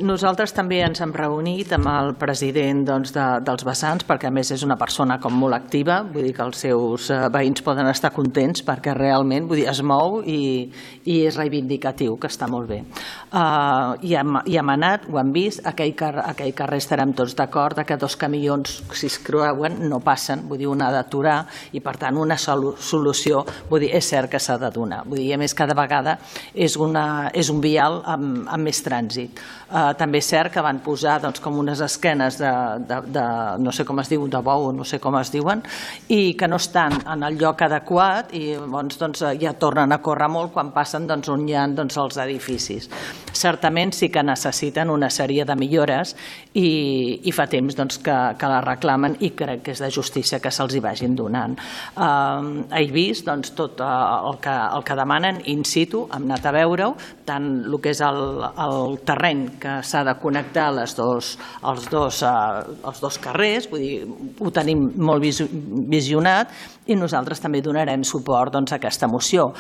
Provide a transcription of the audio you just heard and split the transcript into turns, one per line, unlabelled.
Nosaltres també ens hem reunit amb el president dels vessants, perquè a més és una persona com molt activa, vull dir que els seus veïns poden estar contents perquè realment es mou i és reivindicatiu, que està molt bé. I hem anat, ho hem vist, aquell carrer estarem tots d'acord que 2 camions, si es creuen, no passen, vull dir, un ha d'aturar i per tant una solució, vull dir, és cert que s'ha de donar. Vull dir, a més cada vegada és un vial amb més trànsit. També és cert que van posar com unes esquenes de no sé com es diu, de bou, no sé com es diuen, i que no estan en el lloc adequat i llavors ja tornen a córrer molt quan passen on hi ha els edificis. Certament sí que necessiten una sèrie de millores i fa temps que la reclamen i crec que és de justícia que se'ls hi vagin donant. He vist tot el que demanen in situ, hem anat a veure-ho, tant el que és el terreny que s'ha de connectar els dos carrers, vull dir, ho tenim molt visionat i nosaltres també donarem suport a aquesta moció.